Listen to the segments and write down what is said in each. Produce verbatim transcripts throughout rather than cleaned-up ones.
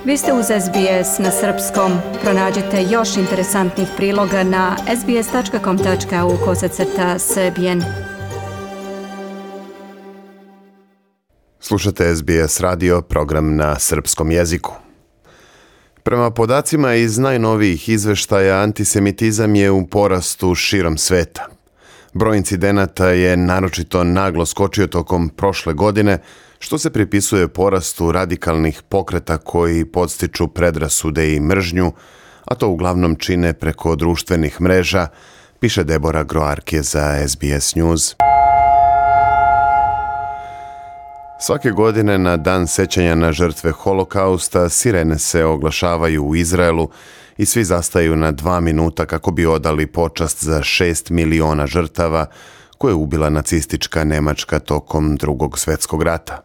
Vi ste uz S B S na srpskom. Pronađite još interesantnih priloga na sbs.com.au kosacrta srbijen. Slušate S B S radio, program na srpskom jeziku. Prema podacima iz najnovijih izveštaja, antisemitizam je u porastu širom sveta. Broj incidenata je naročito naglo skočio tokom prošle godine, što se pripisuje porastu radikalnih pokreta koji podstiču predrasude i mržnju, a to uglavnom čine preko društvenih mreža, piše Debora Groarke za S B S News. Svake godine na dan sećanja na žrtve Holokausta sirene se oglašavaju u Izraelu i svi zastaju na dva minuta kako bi odali počast za šest miliona žrtava koje je ubila nacistička Nemačka tokom Drugog svjetskog rata.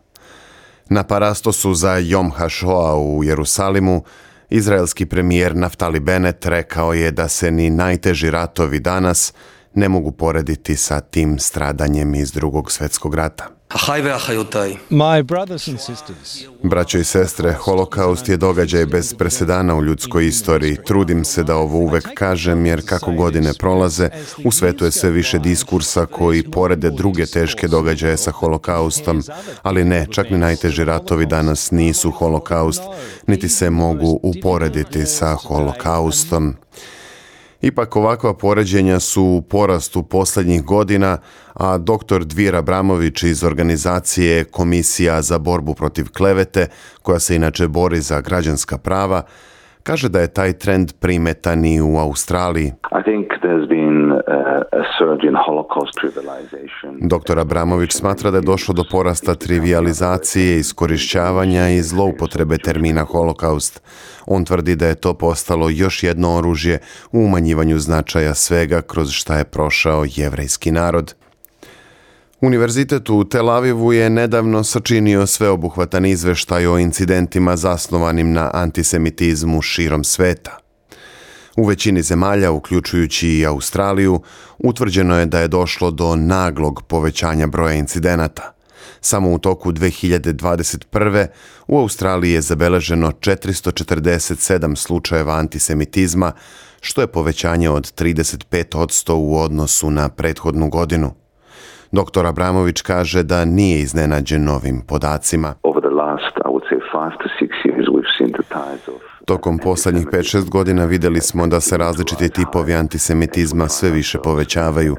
Na parastosu za Jom HaShoah u Jerusalimu, izraelski premijer Naftali Bennett rekao je da se ni najteži ratovi danas ne mogu porediti sa tim stradanjem iz Drugog svjetskog rata. My brothers and sisters. Braćo i sestre, Holokaust je događaj bez presedana u ljudskoj istoriji. Trudim se da ovo uvek kažem, jer kako godine prolaze, u svetu je sve više diskursa koji porede druge teške događaje sa Holokaustom, ali ne, čak ni najteži ratovi danas nisu Holokaust, niti se mogu uporediti sa Holokaustom. Ipak ovakva poređenja su u porastu posljednjih godina, a doktor Dvir Abramović iz organizacije Komisija za borbu protiv klevete, koja se inače bori za građanska prava, kaže da je taj trend primetan i u Australiji. Doktor Abramović smatra da je došlo do porasta trivijalizacije, iskorišćavanja i zloupotrebe termina Holokaust. On tvrdi da je to postalo još jedno oružje u umanjivanju značaja svega kroz šta je prošao jevrejski narod. Univerzitet u Tel Avivu je nedavno sačinio sveobuhvatan izveštaj o incidentima zasnovanim na antisemitizmu širom sveta. U većini zemalja, uključujući i Australiju, utvrđeno je da je došlo do naglog povećanja broja incidenata. Samo u toku dve hiljade dvadeset prve. u Australiji je zabeleženo četiristo četrdeset sedam slučajeva antisemitizma, što je povećanje od trideset pet posto u odnosu na prethodnu godinu. Doktor Abramović kaže da nije iznenađen novim podacima. Tokom posljednjih pet šest godina vidjeli smo da se različiti tipovi antisemitizma sve više povećavaju.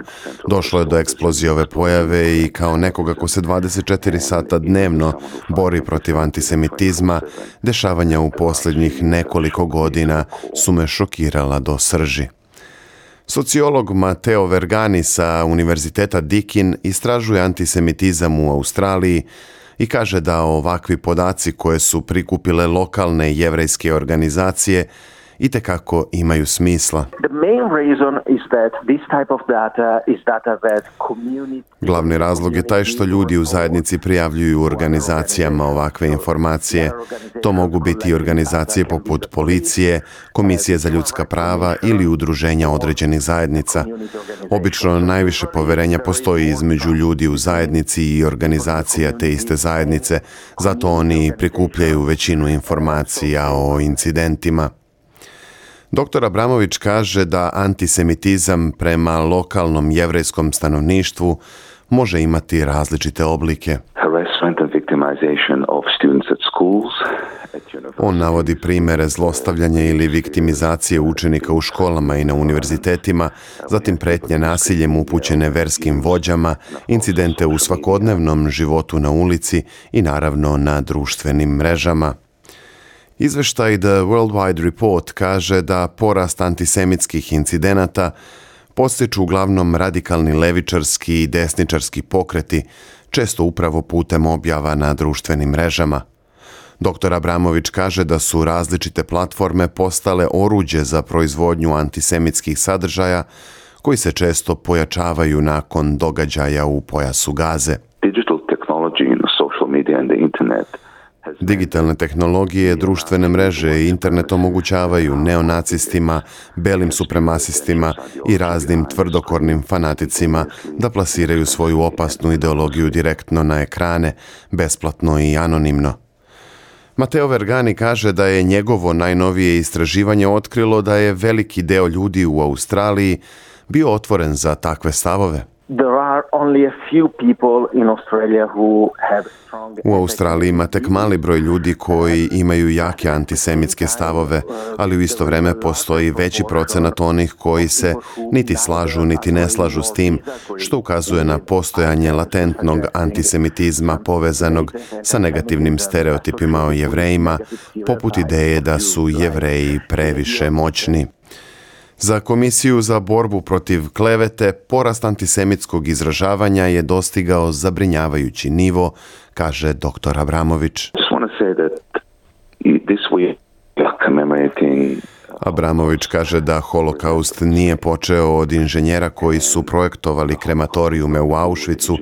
Došlo je do eksplozije ove pojave i kao nekoga ko se dvadeset četiri sata dnevno bori protiv antisemitizma, dešavanja u posljednjih nekoliko godina su me šokirala do srži. Sociolog Matteo Vergani sa Univerziteta Deakin istražuje antisemitizam u Australiji i kaže da ovakvi podaci koje su prikupile lokalne jevrejske organizacije itekako imaju smisla. Glavni razlog je taj što ljudi u zajednici prijavljuju organizacijama ovakve informacije. To mogu biti organizacije poput policije, Komisije za ljudska prava ili udruženja određenih zajednica. Obično najviše poverenja postoji između ljudi u zajednici i organizacija te iste zajednice, zato oni prikupljaju većinu informacija o incidentima. Doktor Abramović kaže da antisemitizam prema lokalnom jevrejskom stanovništvu može imati različite oblike. On navodi primjere zlostavljanja ili viktimizacije učenika u školama i na univerzitetima, zatim pretnje nasiljem upućene verskim vođama, incidente u svakodnevnom životu na ulici i naravno na društvenim mrežama. Izveštaj The Worldwide Report kaže da porast antisemitskih incidenata podstiču uglavnom radikalni levičarski i desničarski pokreti, često upravo putem objava na društvenim mrežama. Doktor Abramović kaže da su različite platforme postale oruđe za proizvodnju antisemitskih sadržaja koji se često pojačavaju nakon događaja u pojasu Gaze. Digital technology in social media and the internet. Digitalne tehnologije, društvene mreže i internet omogućavaju neonacistima, belim supremasistima i raznim tvrdokornim fanaticima da plasiraju svoju opasnu ideologiju direktno na ekrane, besplatno i anonimno. Matteo Vergani kaže da je njegovo najnovije istraživanje otkrilo da je veliki deo ljudi u Australiji bio otvoren za takve stavove. U Australiji ima tek mali broj ljudi koji imaju jake antisemitske stavove, ali u isto vrijeme postoji veći procenat onih koji se niti slažu niti ne slažu s tim, što ukazuje na postojanje latentnog antisemitizma povezanog sa negativnim stereotipima o Jevrejima, poput ideje da su Jevreji previše moćni. Za Komisiju za borbu protiv klevete, porast antisemitskog izražavanja je dostigao zabrinjavajući nivo, kaže doktor Abramović. Abramović kaže da holokaust nije počeo od inženjera koji su projektovali krematorijume u Auschwitzu,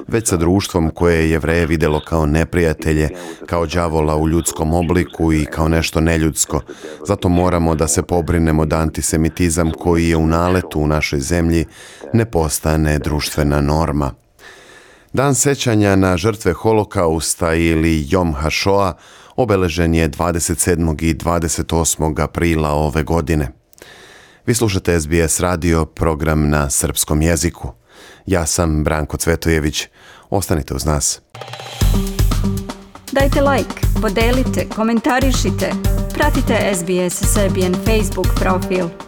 već sa društvom koje je Jevreje vidjelo kao neprijatelje, kao đavola u ljudskom obliku i kao nešto neljudsko. Zato moramo da se pobrinemo da antisemitizam koji je u naletu u našoj zemlji ne postane društvena norma. Dan sećanja na žrtve holokausta ili Jom HaShoah obeležen je dvadeset sedmog i dvadeset osmog aprila ove godine. Vi slušate S B S radio, program na srpskom jeziku. Ja sam Branko Cvetojević. Ostanite uz nas. Dajte like, podelite, komentarišite. Pratite S B S Serbian Facebook profil.